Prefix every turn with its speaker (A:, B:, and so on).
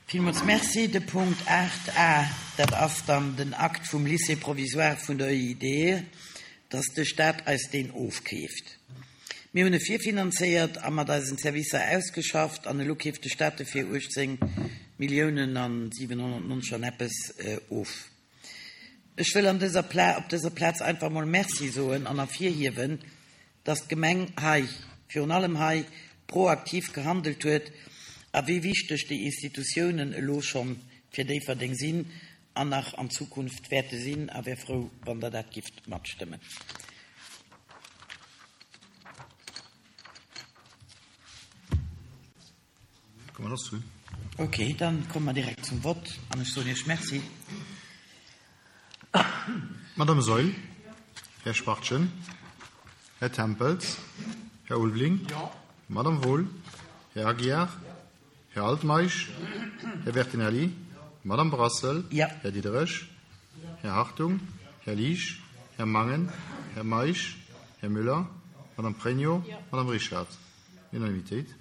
A: Villmools Merci. De Punkt 8 a, dat ass dann den Akt vum Lycée provisoire vun der EIDE, dass de Stat eis deen ofkeeft. Mir hunn e virfinanzéiert a mat eisen Servicer ausgeschafft an elo keeft de Stat e fir 18 Milliounen an 790 an eppes of. Ech wëll an dëser Pla op dëser Plaz einfach emol Merci soen an ervirhiewen, dass d'Gemeng hei, virun allem hei, proaktiv gehandelt huet a wéi wichteg déi Institutiounen elo scho fir Déifferdeng sinn an nach an Zukunft wäerte sinn, a wär frou, wann Der dat gifft matstëmmen. Ok, dann komme mer direkt zum Vott an ech soen Iech Merci.
B: Madame Saeul, Här Spartchen, Här Tempels, Här Ulveling, Madame Wohl, Här Aguiar, Här Altmeisch, Här Bertinelli, Madame Brassel, Här Diderich, Här Hartung, Här Liesch, Här Mangen, Här Meisch, Här Müller, Madame Pregno, Madame Richard. Unanimitéit.